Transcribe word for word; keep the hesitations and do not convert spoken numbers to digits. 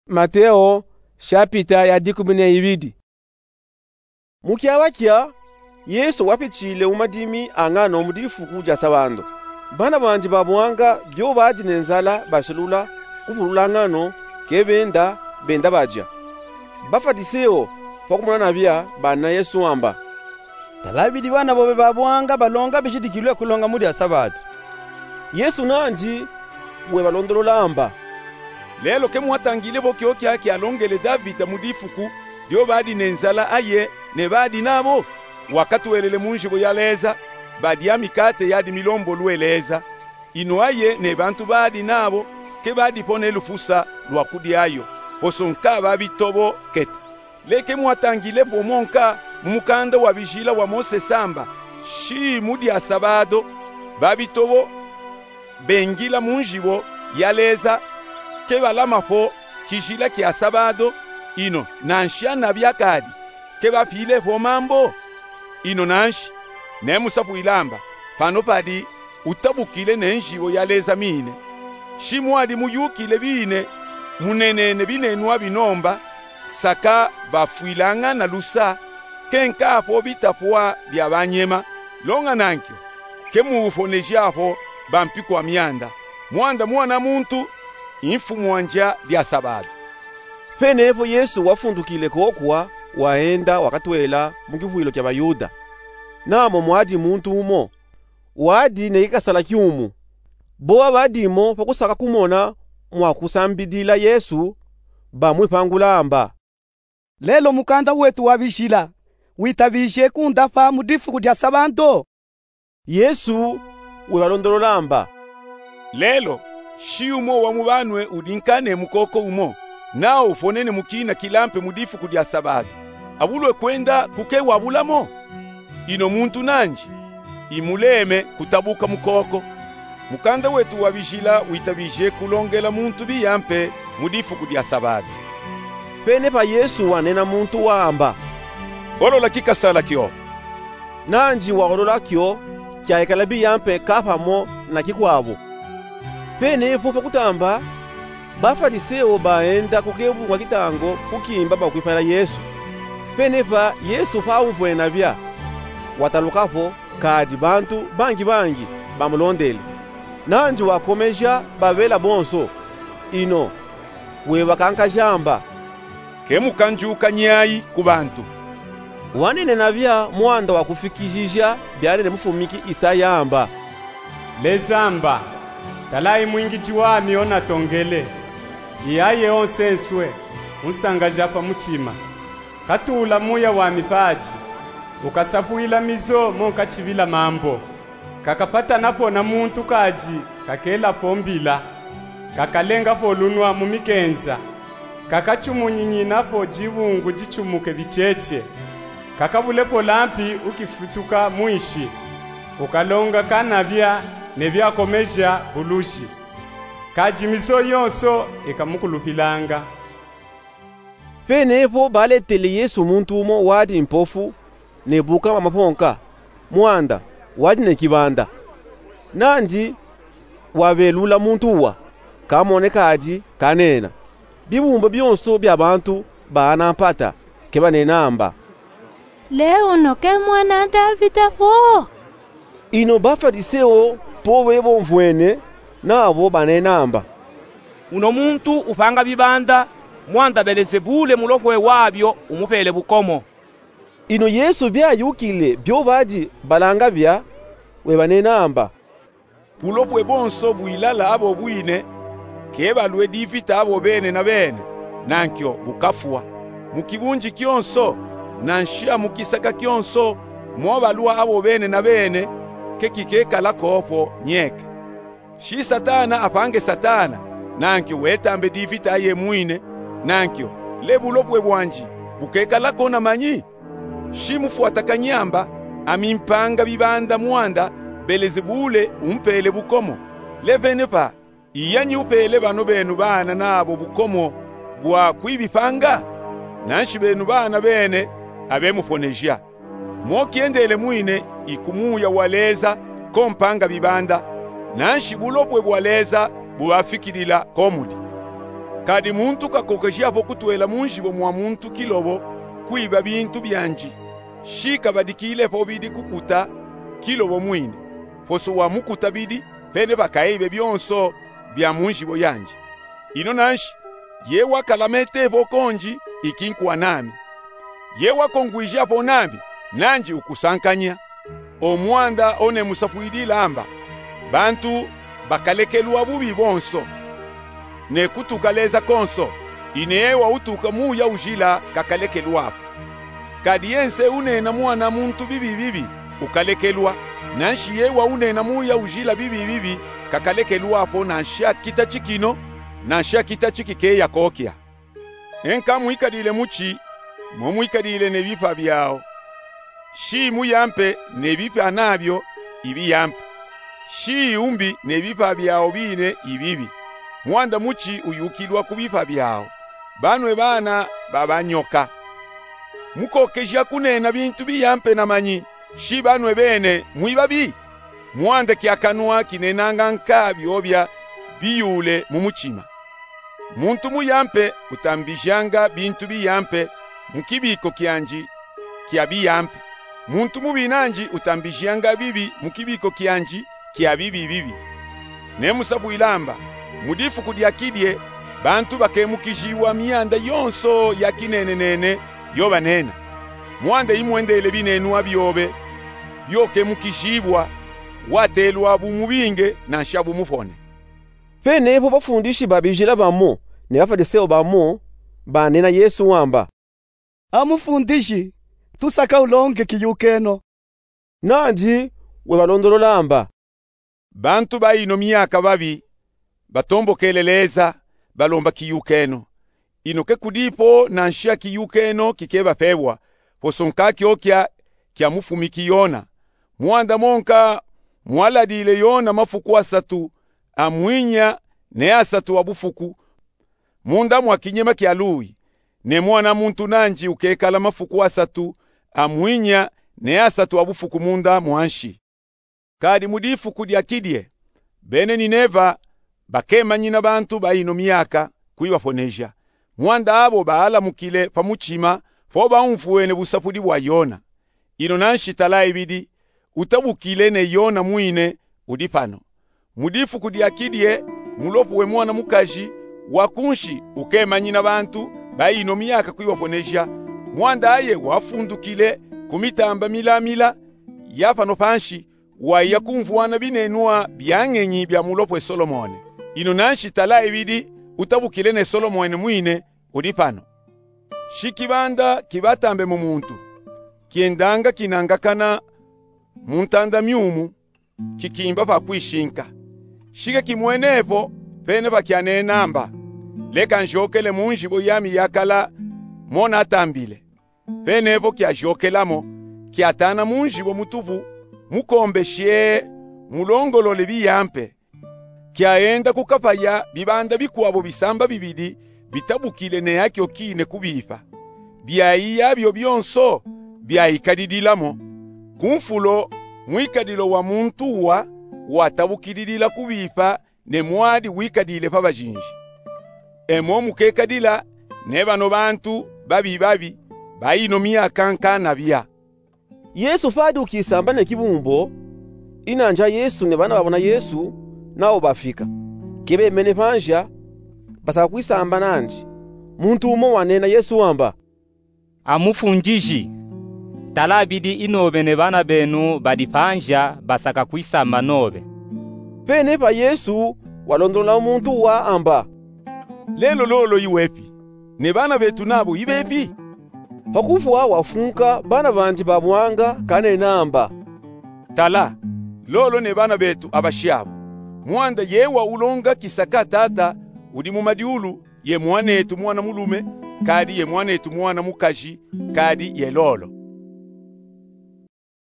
Mateo, shapita ya dikumi na ibidi. Mu kyawa kya, Yesu wapitshile mu madimi a ngano mu difuku dya Sabado. Bana bandi ba bwanga byo badi ne nzala bashelula kupulula ngano, ke benda, benda badya. Bafadiseo, pa kumona nabya, banena Yesu amba: Talabidi bana bobe ba bwanga balonga bishidikilwe kulonga mu dya Sabado. Yesu nandi webalondolola amba: Lelo ke mwatangile vo kyokya kyalongele Davida mu difuku dyo badi ne nzala aye ne badi nabo? Wakatwelele mu nzibo ya Leza, badya mikate yadi milombolu e Leza, ino aye ne bantu badi nabo ke badipo ne lufusa lwa kudyayo, poso nka babitobo kete. Le ke mwatangile po mo nka mu mukanda wa bijila wa Mosese amba: Shi mu dya Sabado, babitobo bengila mu nzibo ya Leza ke balama po kijila kya Sabado, ino nanshi anabya kadi ke bapile po mambo? Ino nanshi, nemusapwile amba, pano padi utabukile ne nzibo ya Leza mine. Shi mwadi muyukile bine, munenene binenwa binomba, saka bafwilangana lusa, ke nka po bitapwa bya banyema, longa nankyo ke mufoneja po bampi kwa myanda, mwanda Mwana muntu, i mfumu wa ndya dya Sabado. Penepo Yesu wafundukile kokwa, waenda wakatwela mu kivwilo kya Bayuda. Namo mwadi muntu umo wadi ne kikasala kyumu. Boba badimo pa kusaka kumona mwa kusambidila Yesu, bamwipangula amba: Lelo mukanda wetu wa bijila witabije kunda pa mu difuku dya Sabado? Yesu webalondolola amba: Lelo, shi umo wa mu banwe udi nka ne mukoko umo, nawu uponene mu kina kilampe mu difuku dya Sabado, abulwe kwenda ku ke wabulamo? Ino muntu nandi, imuleme kutabuka mukoko. Mukanda wetu wa bijila witabije kulongela muntu biya mpe mu difuku dya Sabado. Penepa Yesu wanena muntu wamba: Olola kikasala kyo. Nandi waolola kyo, kyaikala biya mpe kapamo na kikwabo. Penepo pa kutamba, Bafadiseo baenda ku kebunga kitango kukimba bakwipala Yesu. Penepa Yesu pa umvwene nabya, wataluka po, kadi bantu bangi bangi bamulondele. Nandi wakomeja babela bonso, ino webakankaja amba: Ke mukanjuka nyayi ku bantu. Wanene nabya mwanda wa kufikijija byanene mufumiki Isaya amba: Leza amba: Talayi mwingiji wami o natongele, i aye o nsenswe, unsangaja pa mutima. Katuula muya wami padi, ukasapwila mizo mo nkachibila mambo. Kakapatana po na muntu kadi kakela po mbila, kakalenga po lunwa mu mikenza, kakachumunyinina po dibungu dichumuke bicheche, kakabule po lampi ukifutuka mwinshi, ukalonga kanabya ne byakomeja buluji. Kadi mizo yonso ikamukulupilanga. Penepo baletele Yesu muntu umo wadi mpofu ne bukama maponka, mwanda wadi ne kibanda. Nandi wabelula muntu uwa, kamone kadi kanena. Bibumba byonso bya bantu baana mpata, ke banena amba: Le uno ke mwana Davida po? Ino Bafadiseo po bebomvwene, nabo banena amba: Uno muntu upanga bibanda, mwanda Belezebule mulopwe wabyo umupele bukomo. Ino Yesu byayukile byo badi balanga bya, webanena amba: Bulopwe bonso bwilala abo bwine, ke balwe divita abo bene na bene, nankyo bukafwa. Mu kibunji kyonso, nanshi a mu kisaka kyonso, mo balwa abo bene na bene, ke kikekala ko po nyeke. Shi Satana apange Satana, nankyo wetambe divita aye mwine, nankyo le bulopwe bwandi bukekala ko na manyi? Shi mufwatakanye amba, ami mpanga bibanda mwanda Belezebule umpele bukomo. Le penepa, iyanyi upele bano benu baana nabo bukomo bwa kwibipanga? Nanshi benu baana bene abemuponeja. Mo kyendele mwine iku muya wa Leza ko mpanga bibanda, nanshi bulopwe bwa Leza bubafikilila ko mudi. Kadi muntu kakokejiapo kutwela munjibo mwa muntu kilobo kwiba bintu bianji, shi kabadikilepo bidi kukuta kilobo mwine, poso wamukuta bidi, pene pakaibe byonso bya munjibo yanji. Ino nanshi, ye wakalametepo konji, iki nkuwa nami. Ye wakongwijiapo nami, nanji ukusankanya. O mwanda o nemusapwilila amba, bantu bakalekelwa bubi bonso, ne kutuka leza konso. Ine ye wautuka Muya Ujila kakalekelwapo. Kadi yense unena mwana muntu bibi bibi, ukalekelwa. Nanshi ye waunena Muya Ujila bibi bibi, kakalekelwapo nansha kita cikino, nansha kita cikikeya kokya. Enka mwikadile muci, mo mwikadile ne bipa byao. Shi muyampe ne bipa nabyo ibiyampe. Shi umbi ne bipa byao bine ibibi. Mwanda muci uyukilwa ku bipa byao. Banwe bana babanyoka. Mukokeja kunena bintu biyampe na manyi, shi banwe bene mwibabi. Mwanda kya kanwa kinenanga nka byobya biyule mu mucima. Muntu muyampe utambijanga bintu biyampe mu kibiko kyanji kya biyampe. Muntu mubi nanji utambijanga bibi mu kibiko kyanji kya bibi bibi. Nemusapwila amba, mu difuku dya kidye, bantu bakemukijibwa myanda yonso ya kinenenene yo banena. Mwanda imwendele binenwa byobe byokemukijibwa, watelwa bumubinge nansha bumupone. Penepo bafundishi ba bijila bamo ne Bafwaliseo bamo banena Yesu amba, A Mufundishi, tusaka ulonge kiyukeno. Nanji webalondolola amba, bantu ba ino myaka babi batombokele leza, balomba kiyukeno. Ino kekudipo nansha kiyukeno kikebapebwa, poso nka kyokya kyamufumiki Yona. Mwanda monka mwaladile Yona mafuku asatu, amwinya ne asatu abufuku, munda mwa kinyema kya luwi, ne Mwana muntu nanji ukekala mafuku asatu, amwinya ne asatu abufuku munda mwa nshi. Kadi mu difuku dya kidye, bene Nineva bakemanyina bantu ba ino myaka kwibaponeja. Mwanda abo baalamukile pa mucima po baumfwene busapudi bwa Yona. Ino nanshi tala ibidi, utabukile ne Yona mwine udi pano. Mu difuku dya kidye, mulopu we mwana mukaji wa kunshi ukemanyina bantu ba ino myaka kwibaponeja. Mwanda aye wafundukile ku mitamba milamila ya pano panshi, waiya kumvwana binenwa bya ngenyi bya mulopwe Solomone. Ino nanshi tala ibidi, utabukile ne Solomone mwine udi pano. Shi kibanda kibatambemo muntu, kyendanga kinangakana mu ntanda myumu, kikimba pa kwishinka. Shi kekimwenepo, pene pakyanena amba, leka njokele mu njibo yami yakala mo natambile. Penepo kyajokelamo, kyatana mu njibo mutupu, mukombeshi, mulongolole biyampe. Kyaenda kukapaya bibanda bikwabo bisamba bibidi bitabukile ne akyo kine kubipa. Byaiya byo byonso byaikadidilamo. Ku nfulo, mwikadilo wa muntu uwa watabukililila kubipa ne mwadi wikadile pa bajinji. E mo mukekadila ne bano bantu babi babi ba ino myaka nkanabya. Yesu padi ukisamba ne kibumbo, inanji a Yesu ne bana babona Yesu nabo bafika. Kebemene pa nzya, basaka kwisamba nanji. Muntu umo wanena Yesu wamba, A Mufundishi, tala bidi inobe ne bana benu badi pa nzya basaka kwisamba nobe. Penepa Yesu walondolola muntu uwa amba, lelo lolo iwepi, ne bana betu nabo ibepi? Pa kupwa wafunka bana bandi babwanga kanena amba, tala, lolo ne bana betu abashi abo. Mwanda ye waulonga kisaka Tata udi mu madiulu, ye mwanetu mwana mulume, kadi ye mwanetu mwana mukaji, kadi ye lolo.